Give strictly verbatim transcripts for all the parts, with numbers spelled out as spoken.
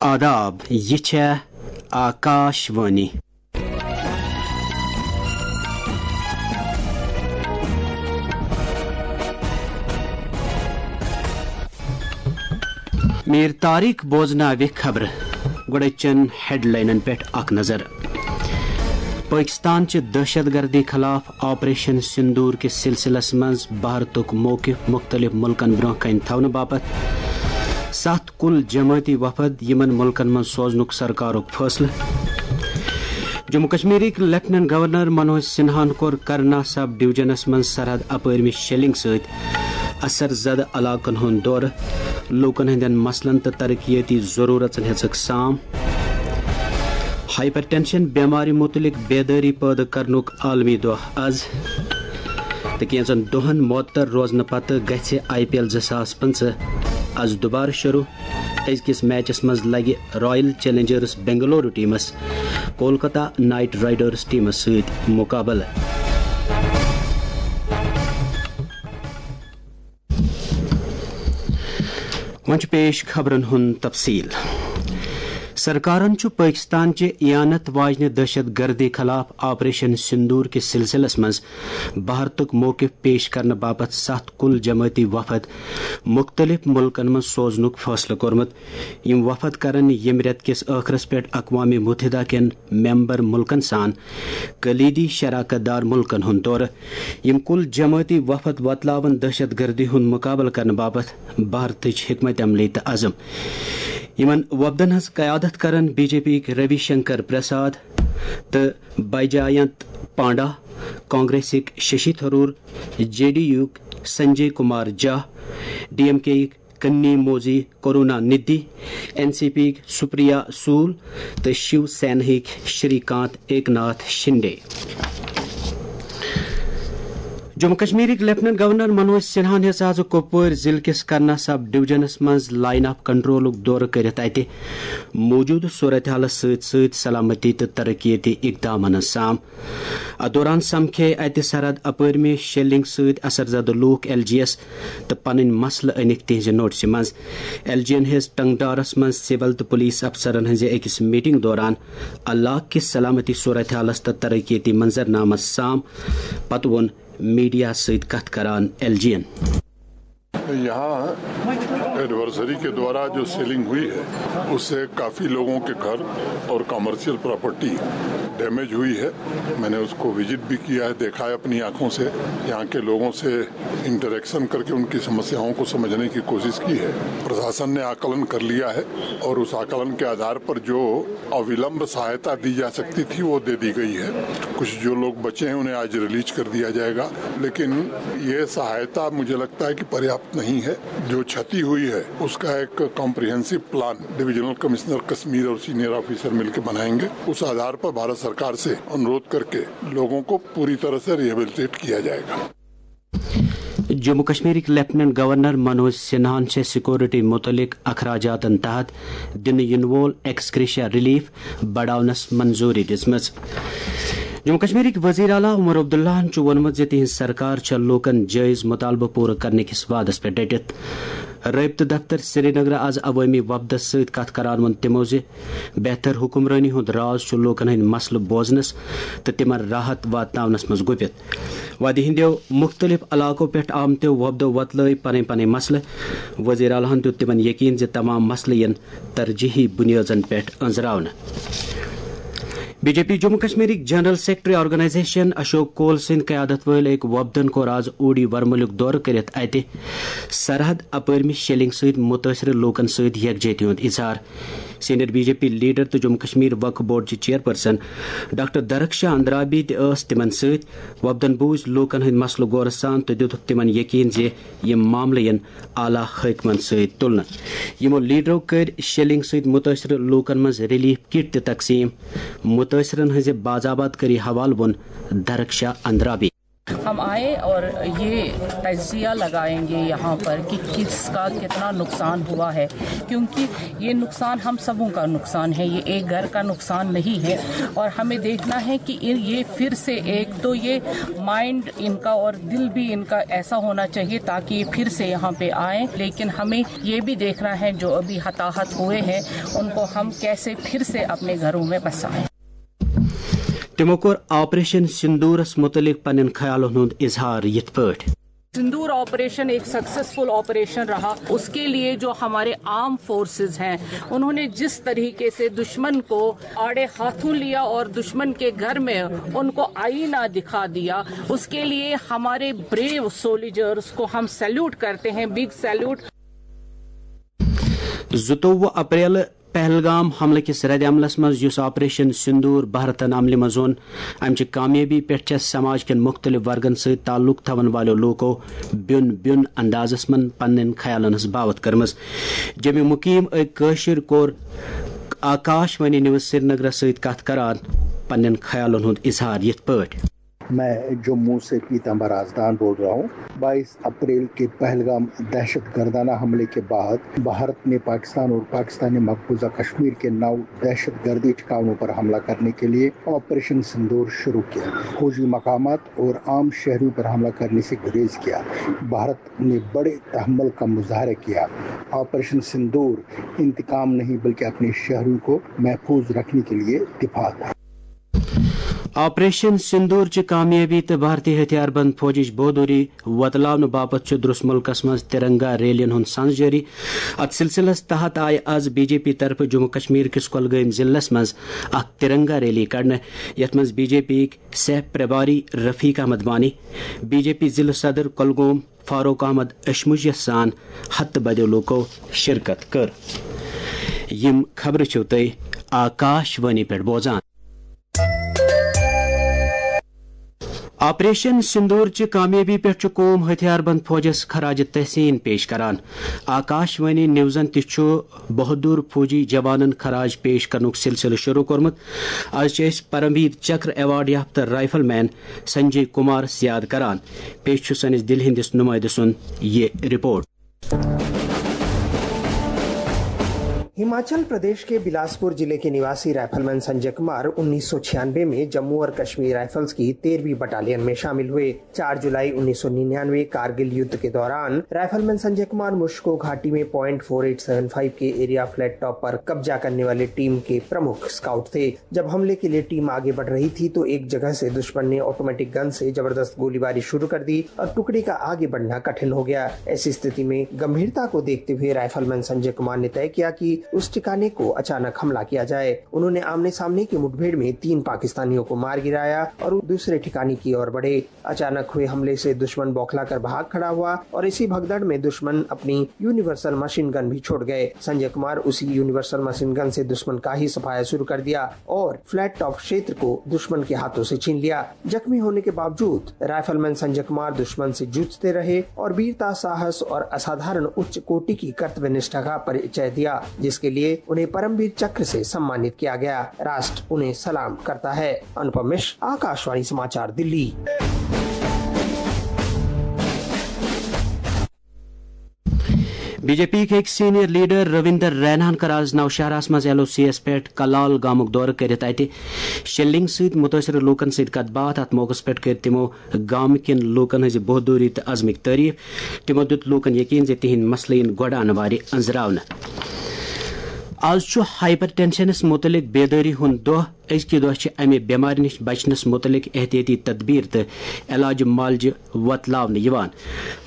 آداب، یہِ چھےٚ آکاش وانی۔ میر طارق بوزناوِ خبرٕ۔ گۄڈٕ چن ہیڈلاینن پٮ۪ٹھ اکھ نظر۔ پٲکِستان چہِ دہشت گردی خلاف آپریشن سندور کِس سلسلس منٛز بھارتُک موقف مُختٔلِف مُلکن برٛونٛہہ کنہِ تھاونہٕ باپتھ ستھ کُل جمٲعتی وفد یِمن مُلکن منٛز سوزنُک سرکارُک فٲصلہٕ۔ جموں کشمیرٕکۍ لیفٹیننٹ گورنر منوج سنہاہن کوٚر کرنا سب ڈویژنس منٛز سرحد اپٲرمہِ شیلنگ سۭتۍ اثر زدٕ علاقن ہُنٛد دورٕ، لوٗکن ہٕنٛدٮ۪ن مسلن تہٕ ترقیتی ضروٗرژن ہیٚژٕکھ سام۔ ہائپر ٹینشن بیمارِ مُتعلق بیدٲری پٲدٕ کرنُک عالمی دۄہ از۔ تہٕ کینٛژن دۄہن معطل روزنہٕ پتہٕ گژھِ آئی پی ایل زٕ ساس پٕنٛژٕہ از دُبارٕ شروٗع۔ أزکِس میچس منٛز لگہِ رائل چیلنجرز بنگلورو ٹیمس کولکتہ نائٹ رائیڈرز ٹیمس سۭتۍ مقابلہٕ۔ وۄنۍ چھُ پیش خبرن ہُنٛد تفصیل۔ سرکارن چھُ پٲکِستان چہِ اعانت واجنہِ دہشت گردی خلاف آپریشن سندور کِس سلسلس منٛز بھارتُک موقف پیش کرنہٕ باپتھ ستھ کُل جمٲعتی وفد مُختٔلِف مُلکن منٛز سوزنُک فٲصلہٕ کوٚرمُت۔ یِم وفد کرن ییٚمہِ رٮ۪تہٕ کِس ٲخرس پٮ۪ٹھ اقوام متحدہ کٮ۪ن ممبر مُلکن سان کلیدی شراکت دار مُلکن ہُنٛد دورٕ۔ یِم کُل جمٲعتی وفد وۄتلاون دہشت گردی ہُنٛد مقابلہٕ کرنہٕ باپتھ بھارتٕچ حکمت عملی تہٕ عزم۔ یِمن وفدن ہٕنٛز قیادت کرن بی جے پی یِکۍ روی شنکر پرساد تہٕ بیجاینت panda, کانگریسٕکۍ Shashi Tharoor, J D یوُک Sanjay Kumar جھا، ڈی ایم کے یِکۍ کنی موزی کرونا ندھی، این سی پی یِکۍ سپریا سول تہٕ شیو سینہٕکۍ شری کانت ایک ناتھ شنڈے۔ جموں کشمیرٕکۍ لیفٹیننٹ گورنر منوج سنہاہن ہیٚژ آز کپوٲرۍ ضلعہٕ کِس کرنا سب ڈویژنس منٛز لائن آف کنٹرولُک دورٕ کٔرِتھ اَتہِ موجودٕ صورتحالس سۭتۍ سۭتۍ سلامتی تہٕ ترقیتی اقدامن ہٕنٛز سام۔ اتھ دوران سمکھے اتہِ سرحد اپٲرمہِ شیلنگ سۭتۍ اثر زدٕ لوٗکھ ایل جی یس تہٕ پنٕنۍ مسلہٕ أنِکھ تِہنزِ نوٹسہِ منٛز۔ ایل جی ین ہیٚژ ٹنگڈارس منٛز سول تہٕ پولیس افسرن ہٕنزِ أکِس میٹنگ دوران علاقہٕ کِس سلامتی صورتحالس تہٕ ترقیتی منظرنامس سام۔ پتہٕ ووٚن میڈیا سۭتۍ کتھ کران ایل جی ین۔ یہاں ایڈورسری کے دوارا جو سیلنگ ہوئی ہے، اس سے کافی لوگوں کے گھر اور کمرشل پراپرٹی ڈیمیج ہوئی ہے۔ میں نے اس کو وزٹ بھی کیا ہے، دیکھا ہے اپنی آنکھوں سے، یہاں کے لوگوں سے انٹریکشن کر کے ان کی سمسیاؤں کو سمجھنے کی کوشش کی ہے۔ پرشاسن نے آکلن کر لیا ہے اور اس آکلن کے آدھار پر جو اولمب سہایتا دی جا سکتی تھی، وہ دے دی گئی ہے۔ کچھ جو لوگ بچے ہیں، انہیں آج ریلیز کر دیا جائے گا، لیکن یہ سہایتا مجھے لگتا ہے کہ پریاپت نہیں ہے۔ جو چھتی ہوئی ہے، اس کا ایک comprehensive plan divisional commissioner Kashmir اور سینئر آفیسر مل کے بنائیں گے۔ اس آدھار پر بھارت سرکار سے انورودھ کر کے لوگوں کو پوری طرح سے ریہیبلیٹیٹ کیا جائے گا۔ جموں کشمیرٕکۍ لیفٹیننٹ گورنر منوج سنہاہن چھےٚ سیکورٹی مُتعلق اخراجاتن تحت دِنہٕ یِنہٕ وول ایکسگریشیا ریلیف بڑاونس منظوٗری دِژمٕژ۔ جموں کشمیرٕکۍ وزیر اعلیٰ عمر عبداللہن چھُ ووٚنمُت زِ تِہنٛز سرکار چھےٚ لوٗکن جٲیز مُطالبہٕ پوٗرٕ کرنہٕ کِس وعدس پٮ۪ٹھ ڈٔٹِتھ۔ رٲبطہٕ دفتر سرینگر آز عوٲمی وفدس سۭتۍ کتھ کران ووٚن تِمو زِ بہتر حکمرٲنی ہُنٛد راز چھُ لوٗکن ہٕنٛدۍ مسلہٕ بوزنس تہٕ تِمن راحت واتناونس منٛز گُپِتھ۔ وادی ہٕنٛدیو مُختٔلِف علاقو پٮ۪ٹھ آمتیو وفدو وۄتلٲوۍ پنٕنۍ پنٕنۍ مسلہٕ۔ وزیر اعلیٰ ہن دیُت تِمن یقین زِ تمام مسلہٕ یِن ترجیحی بُنیٲدن پٮ۪ٹھ أنٛزراونہٕ۔ بی جے پی جموں کشمیرٕکۍ general secretary organisation Ashok Koul سٕنٛدِ قیادت وٲلۍ أکۍ وفدن کوٚر آز اوڈی ورمُلُک دورٕ کٔرِتھ اَتہِ سرحد اپٲرمہِ شیلنگ سۭتۍ مُتٲثرٕ لوٗکن سۭتۍ یکجہتی ہُنٛد اظہار۔ Senior B J P leader تہٕ جموں کشمیر وقف بورڈ چہِ چیئرپرسن ڈاکٹر درخشا اندرابی تہِ ٲس تِمن سۭتۍ۔ وفدن بوٗزۍ لوٗکن ہٕنٛدۍ مسلہٕ غورٕ سان تہٕ دِتُکھ تِمن یقین زِ یِم معاملہٕ یِن اعلیٰ حٲکمن سۭتۍ تُلنہٕ۔ یِمو لیڈرو کٔرۍ شیلنگ سۭتۍ مُتٲثرٕ لوٗکن منٛز ریلیف کٹ تہِ تقسیٖم۔ مُتٲثرن ہٕنٛزِ باضابطگی حوالہٕ ووٚن درخشا اندرابی۔ हम आए और ये तजिया लगाएंगे यहाँ पर कि किसका कितना नुकसान हुआ है, क्योंकि ये नुकसान हम सबों का नुकसान है, ये एक घर का नुकसान नहीं है। और हमें देखना है कि इन ये फिर से, एक तो ये माइंड इनका और दिल भी इनका ऐसा होना चाहिए ताकि ये फिर से यहाँ पे आए, लेकिन हमें ये भी देखना है जो अभी हताहत हुए हैं उनको हम कैसे फिर से अपने घरों में बसाएं। تِمو کوٚر آپریشن سندورس مُتعلِق پننٮ۪ن خیالن ہُنٛد اظہار یِتھ پٲٹھۍ۔ सिंदूर ऑपरेशन एक सक्सेसफुल ऑपरेशन रहा। उसके लिए जो हमारे आर्म फोर्सेस हैं, उन्होंने जिस तरीके से दुश्मन को आड़े हाथों लिया और दुश्मन के घर में उनको आईना दिखा दिया, उसके लिए हमारे ब्रेव सोल्जर्स को हम सैल्यूट करते हैं, बिग सैल्यूट। زٕتووُہ اپریل پہلگام حملہٕ کِس رد عملس منٛز یُس آپریشن سندور بھارتن عملہِ منٛز اوٚن، امہِ چہِ کامیٲبی پٮ۪ٹھ چھےٚ سماج کٮ۪ن مُختٔلِف ورگن سۭتۍ تعلق تھاون والٮ۪و لوٗکو بیوٚن بیوٚن اندازس منٛز پننٮ۪ن خیالن ہٕنٛز باوتھ کٔرمٕژ۔ جموں مقیم أکۍ کٲشِر کوٚر آکاش وانی نیوز سرینگرس سۭتۍ کتھ کران پننٮ۪ن خیالن ہُنٛد اظہار یِتھ پٲٹھۍ۔ میں جموں سے پیتمبر آزدان بول رہا ہوں۔ بائیس اپریل کے پہلگام دہشت گردانہ حملے کے بعد بھارت نے پاکستان اور پاکستانی مقبوضہ کشمیر کے نو دہشت گردی ٹھکانوں پر حملہ کرنے کے لیے آپریشن سندور شروع کیا۔ فوجی مقامات اور عام شہریوں پر حملہ کرنے سے گریز کیا۔ بھارت نے بڑے تحمل کا مظاہرہ کیا۔ آپریشن سندور انتقام نہیں بلکہ اپنے شہریوں کو محفوظ رکھنے کے لیے دفاع تھا۔ آپریشن سندور چہِ کامیٲبی تہٕ بھارتی ہتھیار بند فوجٕچ بہادری وۄتلاونہٕ باپتھ چھُ درس مُلکس منٛز ترنگا ریلین ہُنٛد سنز جٲری۔ اتھ سلسلس تحت آیہِ از بی جے پی طرفہٕ جموں کشمیر کِس کۄلگٲمۍ ضلعس منٛز اکھ ترنگا ریلی کڑنہٕ، یتھ منٛز بی جے پی یِکۍ سہ پرباری Rafiq Ahmad Wani, B J P ضلع صدر کۄلگوم فاروق احمد اشمجیس سان ہتہٕ بدیو لوٗکو شرکت کٔر۔ یِم خبرٕ چھِو تُہۍ آکاش وانی پٮ۪ٹھ بوزان۔ آپریشن سندور چہِ کامیٲبی پٮ۪ٹھ چھُ قوم ہتھیار بند فوجس خراج تحسین پیش کران۔ آکاش وانی نیوزن تہِ چھُ بہادر فوجی جوانن خراج پیش کرنُک سلسلہٕ شروع کوٚرمُت۔ از چھِ أسۍ پرمویر چکر ایوارڈ یافتہٕ رائفل مین سنجے کمارس یاد کران۔ پیش چھُ سٲنِس دِلہِ ہٕنٛدِس نُمٲیدٕ سُنٛد یہِ رپورٹ۔ हिमाचल प्रदेश के बिलासपुर जिले के निवासी राइफलमैन संजय कुमार उन्नीस सौ छियानवे में जम्मू और कश्मीर राइफल्स की तेरहवीं बटालियन में शामिल हुए। चार जुलाई उन्नीस सौ निन्यानवे कारगिल युद्ध के दौरान राइफलमैन संजय कुमार मुश्को घाटी में point four eight seven five के एरिया फ्लैट टॉप पर कब्जा करने वाले टीम के प्रमुख स्काउट थे। जब हमले के लिए टीम आगे बढ़ रही थी तो एक जगह से दुश्मन ने ऑटोमेटिक गन से जबरदस्त गोलीबारी शुरू कर दी और टुकड़ी का आगे बढ़ना कठिन हो गया। ऐसी स्थिति में गंभीरता को देखते हुए राइफलमैन संजय कुमार ने तय किया कि उस ठिकाने को अचानक हमला किया जाए। उन्होंने आमने सामने की मुठभेड़ में तीन पाकिस्तानियों को मार गिराया और दूसरे ठिकाने की ओर बढ़े। अचानक हुए हमले से दुश्मन बौखलाकर भाग खड़ा हुआ और इसी भगदड़ में दुश्मन अपनी यूनिवर्सल मशीन गन भी छोड़ गए। संजय कुमार उसी यूनिवर्सल मशीन गन से दुश्मन का ही सफाया शुरू कर दिया और फ्लैट टॉप क्षेत्र को दुश्मन के हाथों से छीन लिया। जख्मी होने के बावजूद राइफलमैन संजय कुमार दुश्मन से जूझते रहे और वीरता, साहस और असाधारण उच्च कोटि की कर्तव्य निष्ठा का परिचय दिया, जिसके लिए उन्हें परमवीर चक्र से सम्मानित किया गया। राष्ट्र उन्हें सलाम करता है। अनुपम मिश्र, आकाशवाणी समाचार, दिल्ली। بی جے پی یِکۍ أکۍ سینئر لیڈر رویندر ریناہن کٔر آز نوشہراہس منٛز ایل او سی یَس پٮ۪ٹھ کلال گامُک دورٕ کٔرِتھ اَتہِ شیلنگ سۭتۍ مُتٲثرٕ لوٗکن سۭتۍ کتھ باتھ۔ اتھ موقعس پٮ۪ٹھ کٔرۍ تِمو گامہٕ کٮ۪ن لوٗکن ہٕنٛزِ بہادری تہٕ عزمٕکۍ تعریف۔ تِمو دیُت لوٗکن یقین زِ تِہنٛدۍ مسلہٕ یِن گۄڈٕ انہٕ وارِ أنٛزراونہٕ۔ آز چھُ ہائپر ٹینشنس مُتعلق بیدٲری ہُنٛد دۄہ۔ أزکہِ دۄہ چھِ امہِ بٮ۪مارِ نِش بچنس مُتعلق احتیاطی تدبیر تہٕ علاج معالجہِ وۄتلاونہٕ یِوان۔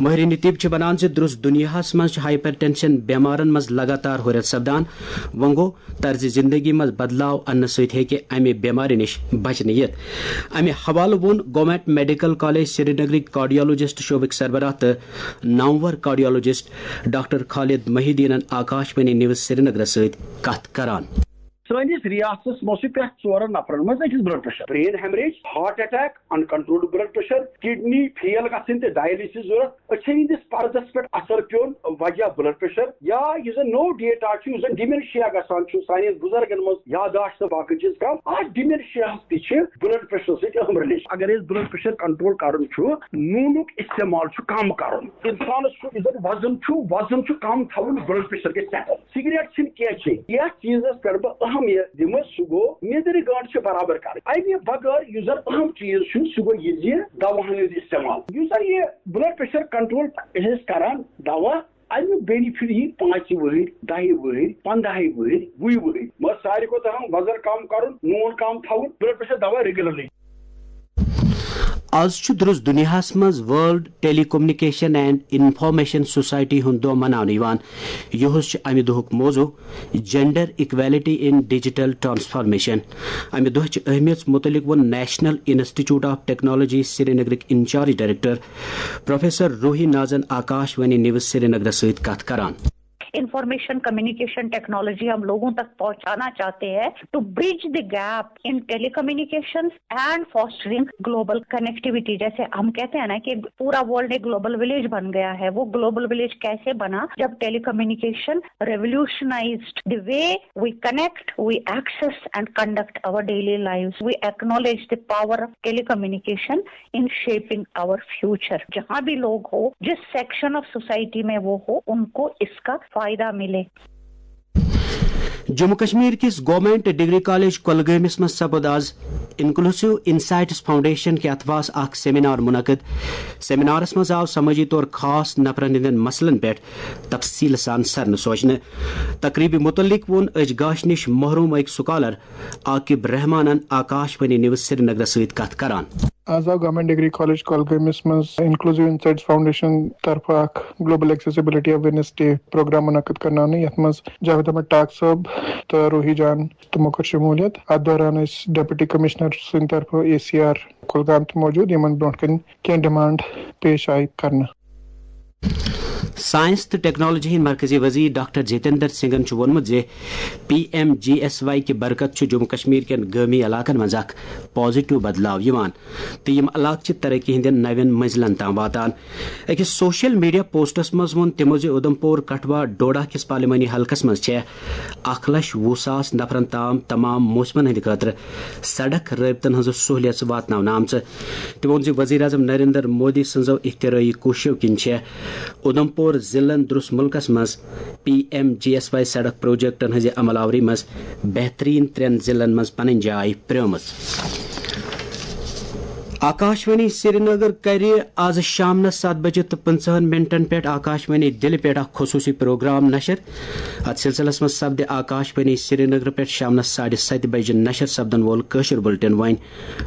مٲہریٖن طب چھِ ونان زِ درٛس دُنیاہس منٛز چھِ ہائپر ٹینشن بٮ۪مارن منٛز لگاتار ہُرٮ۪ر سپدان۔ وۄنۍ گوٚو، طرزِ زندگی منٛز بدلاو اننہٕ سۭتۍ ہیٚکہِ امہِ بٮ۪مارِ نِش بچنہٕ یِتھ۔ امہِ حوالہٕ ووٚن گورنمنٹ میڈیکل کالج سرینگرٕکۍ کارڈیولوجسٹ شعبٕکۍ سربراہ تہٕ نامور کارڈیولوجسٹ ڈاکٹر خالد محی الدینن آکاش وانی نیوز سرینگرس سۭتۍ کتھ کران۔ سٲنِس ریاستس منٛز چھُ پرٛٮ۪تھ ژورن نفرن منٛز أکِس blood pressure, brain haemorrhage, heart attack, uncontrolled blood pressure, kidney fail گژھٕنۍ تہٕ ڈائلسس ضرورت۔ أچھن ہٕنٛدِس پردس پٮ۪ٹھ اثر پیوٚن وجہ بلڈ پریشر، یا یُس زن نوٚو ڈیٹا چھُ، یُس زن ڈیمینشیا گژھان چھُ سانٮ۪ن بُزرگن منٛز، یاداشت تہٕ باقٕے چیٖز کم، اتھ ڈیمینشیاہس تہِ چھِ بلڈ پریشرس سۭتۍ اہم ریلیشن۔ اگر أسۍ بلڈ پریشر کنٹرول کرُن چھُ، نوٗنُک استعمال چھُ کم کرُن۔ انسانس چھُ، یُس زن وزن چھُ، وزن چھُ کم تھاوُن، بلڈ پریشر گژھِ سیٹل۔ سگریٹ چھِنہٕ کینٛہہ چیٚنۍ۔ یتھ چیٖزس پٮ۪ٹھ بہٕ اہمیت دِمہٕ، سُہ گوٚو نیٚدرِ گنٛڈ چھِ برابر کرٕنۍ۔ امہِ بغٲر یُس زن اہم چیٖز چھُ، سُہ گوٚو یہِ زِ دواہن ہُنٛد استعمال۔ یُس زن یہِ بلڈ پریشر کنٹرول چھِ أسۍ کران دوا، امیُک بینیفٹ یی پانٛژِ وٕہٕرۍ، دَہہِ وٕہٕرۍ، پنٛداہہِ وٕہٕرۍ، وُہہِ وٕہٕرۍ۔ مگر ساروی کھۄتہٕ اہم وزن کم کرُن، نوٗن کم تھاوُن، بلڈ پریشر دوا ریگولرلی۔ آز چھُ درٛس دُنیاہَس منٛز World Telecommunication and Information Society ہُنٛد دۄہ مناونہٕ یِوان۔ یُہُس چھُ اَمہِ دۄہُک موضوع Gender Equality in Digital Transformation۔ اَمہِ دۄہ چہِ اہمیت مُتعلِق ووٚن National Institute of Technology سرینگرٕکۍ انچارج ڈائریکٹر پروفیسر روحی نازن آکاش وانی نیوز سرینگرس سۭتۍ کتھ کران۔ انفارمیشن کمیونیکیشن ٹیکنالوجی ہم لوگوں تک پہنچانا چاہتے ہیں to bridge the gap in telecommunications and fostering global connectivity. جیسے ہم کہتے ہیں نا کہ پورا ورلڈ ایک گلوبل ولیج بن گیا ہے، وہ گلوبل ولیج کیسے بنا؟ جب ٹیلی communication revolutionized the way we connect, we access and conduct our daily lives. We acknowledge the power of telecommunication in shaping our future. جہاں بھی لوگ ہو، جس سیکشن آف سوسائٹی میں وہ ہو، ان کو اس کا فائدہ ملے۔ جموں کشمیر کِس گورنمنٹ ڈگری کالج کۄلگٲمِس منٛز سپُد آز انکلوسیو انسائٹس فاؤنڈیشن کہِ اتھوس اکھ سیمینار منعقد۔ سیمینارس منٛز آو سمٲجی طور خاص نفرن ہٕنٛدٮ۪ن مسلن پٮ۪ٹھ تفصیل سان سرنہٕ سوچنہٕ۔ تقریبہِ متعلق ووٚن أزۍ گاشہِ نِش محروم أکۍ سکالر عاقب رحمانن آکاش وانی نیوز سرینگرس سۭتۍ کتھ کران۔ آز آو گورنمنٹ ڈگری کالج کۄلگٲمِس منٛز انکلوسیو انسائٹس فاؤنڈیشن طرفہٕ اکھ global accessibility awareness day programme منعقد کرناونہٕ، یتھ منٛز جاوید احمد ٹاک صٲب تہٕ روحی جان تِمو کٔر شمولیت۔ اتھ دوران ٲسۍ ڈپٹی کمشنر سٕنٛدِ طرفہٕ اے سی آر کۄلگام تہِ موجود، یِمن برونٛٹھ کنہِ کینٛہہ ڈیمانڈ پیش آیہِ کرنہٕ۔ سائنس تہٕ ٹیکنالوجی ہٕنٛدۍ مرکزی وزیر ڈاکٹر جتیندر سنگھن چھُ ووٚنمُت زِ P M G S Y کہِ برکت چھُ جموں کشمیر کٮ۪ن گٲمی علاقن منٛز اکھ پازیٹیو بدلاو یِوان تہٕ یِم علاقہٕ چھِ ترقی ہٕنٛدٮ۪ن نوٮ۪ن منزلن تام واتان۔ أکِس سوشل میڈیا پوسٹس منٛز ووٚن تِمو زِ اُدھمپور کٹھوا ڈوڈا کِس پارلیمانی حلقس منٛز چھےٚ اکھ لچھ وُہ ساس نفرن تام تمام موسمن ہٕنٛدِ خٲطرٕ سڑک رٲبطن ہٕنٛز سہولیژ واتناونہٕ آمژٕ۔ تٔمۍ ووٚن زِ وزیر اعظم نریندر مودی سٕنٛزو اختراعی کوٗششو کِنۍ چھےٚ اُدھمپور ضلعن درٛس مُلکس منٛز P M G S Y سڑک پروجیکٹن ہٕنٛزِ عمل آوری منٛز بہتریٖن ترٛٮ۪ن ضلعن منٛز پنٕنۍ جاے پرٛٲومٕژ۔ آکاشوانی سرینگر کرِ آز شامنس ستھ بجہِ تہٕ پٕنٛژٕہن منٹن پٮ۪ٹھ آکاشوانی دِلہِ پٮ۪ٹھ اکھ خصوٗصی پروگرام نشر۔ اتھ سلسلس منٛز سپدِ آکاشوانی سرینگر پٮ۪ٹھ شامنس ساڑِ ستہِ بجہِ نشر سپدن وول کٲشُر بُلٹن وۄنۍ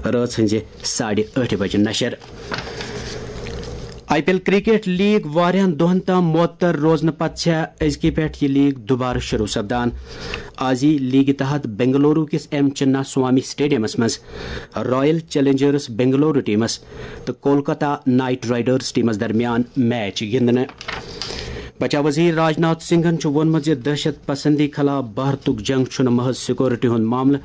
رٲژ ہٕنٛزِ ساڑِ ٲٹھِ بجہِ نشر۔ I P L cricket league واریاہن دۄہن تام معطل روزنہٕ پتہٕ چھےٚ أزکہِ پٮ۪ٹھ یہِ لیگ دوبارٕ شروع سپدان۔ آز یی لیگہِ تحت بنگلورو کِس ایم چنا سوامی سٹیڈیمس منٛز رائل چیلنجرز بنگلورو ٹیمس تہٕ کولکتہ نائٹ رائیڈرز ٹیمس درمیان میچ گِنٛدنہٕ۔ بچاو وزیر راجناتھ سنگھن چھُ ووٚنمُت زِ دہشت پسندی خلاف بھارتُک جنگ چھُنہٕ محض سیکورٹی ہُنٛد معاملہٕ،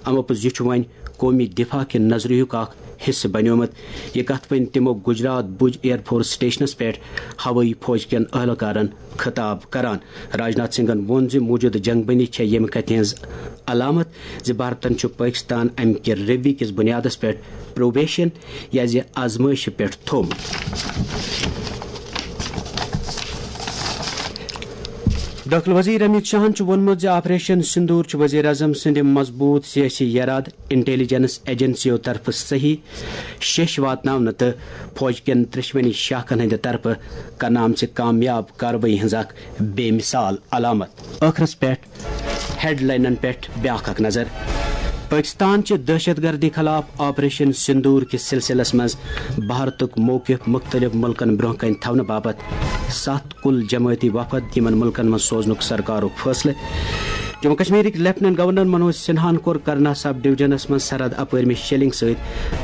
امو پوٚز یہِ چھُ وۄنۍ قومی دفاع کہِ نظریہُک اکھ حصہٕ بنیومُت۔ یہِ کتھ ؤنۍ تِمو گجرات بھج ایئر فورس سٹیشنس پٮ۪ٹھ ہوٲیی فوج کٮ۪ن اہلکارن خطاب کران۔ راجناتھ سنگھن ووٚن زِ موجودٕ جنگ بندی چھےٚ ییٚمہِ کتھِ ہٕنٛز علامت زِ بھارتن چھُ پٲکستان امہِ کہِ روی کِس بنیادس پٮ۪ٹھ پروبیشن یا زِ آزمٲیشہِ پٮ۪ٹھ تھوٚومُت۔ دٲخلہٕ وزیر امیت شاہن چھُ ووٚنمُت زِ آپریشن سندور چھُ وزیر اعظم سٕنٛدِ مضبوٗط سیٲسی یرادٕ، انٹیلیجنس ایجنسیو طرفہٕ صحیح شیٚش واتناونہٕ تہٕ فوج کٮ۪ن ترٛیٚشوٕنی شاخن ہٕنٛدِ طرفہٕ کرنہٕ آمژِ کامیاب کاروٲیی ہٕنٛز اکھ بے مثال علامت۔ ٲخرس پٮ۪ٹھ ہیڈ لائنن پٮ۪ٹھ بیاکھ اکھ نظر۔ پٲکستان چہِ دہشت گردی خلاف آپریشن سندور کِس سلسلس منٛز بھارتُک موقف مُختٔلِف مُلکن برٛونٛہہ کنہِ تھاونہٕ باپتھ ستھ کُل جمٲعتی وفد یِمن مُلکن منٛز سوزنُک سرکارُک فٲصلہٕ۔ جموں کشمیرٕکۍ لیفٹیننٹ گورنر منوج سنہاہن کوٚر کرنا سب ڈویژنس منٛز سرحد اپٲرمہِ شیلنگ سۭتۍ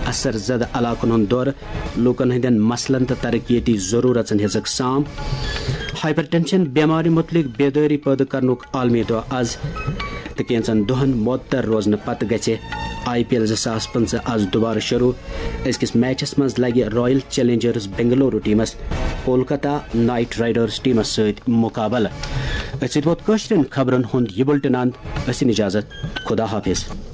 اثر زدٕ علاقن ہُنٛد دورٕ، لوٗکن ہٕنٛدٮ۪ن مسلن تہٕ ترقیتی ضروٗرژن ہیٚژٕکھ سام۔ ہائپر ٹینشن بیمارِ مُتعلق بیدٲری پٲدٕ کرنُک عالمی دۄہ از۔ تہٕ کینٛژن دۄہن معطل روزنہٕ پتہٕ گژھِ آئی پی ایل زٕ ساس پٕنٛژٕہ آز دُبارٕ شروٗع۔ أزکِس میچس منٛز لگہِ رائل چیلنجرز بنگلورو ٹیمس کولکتہ نائٹ رائیڈرز ٹیمس سۭتۍ مقابلہٕ۔ أتھۍ سۭتۍ ووت کٲشرٮ۪ن خبرن ہُنٛد یہِ بُلٹن اند۔ ٲسِن اجازت۔ خدا حافظ۔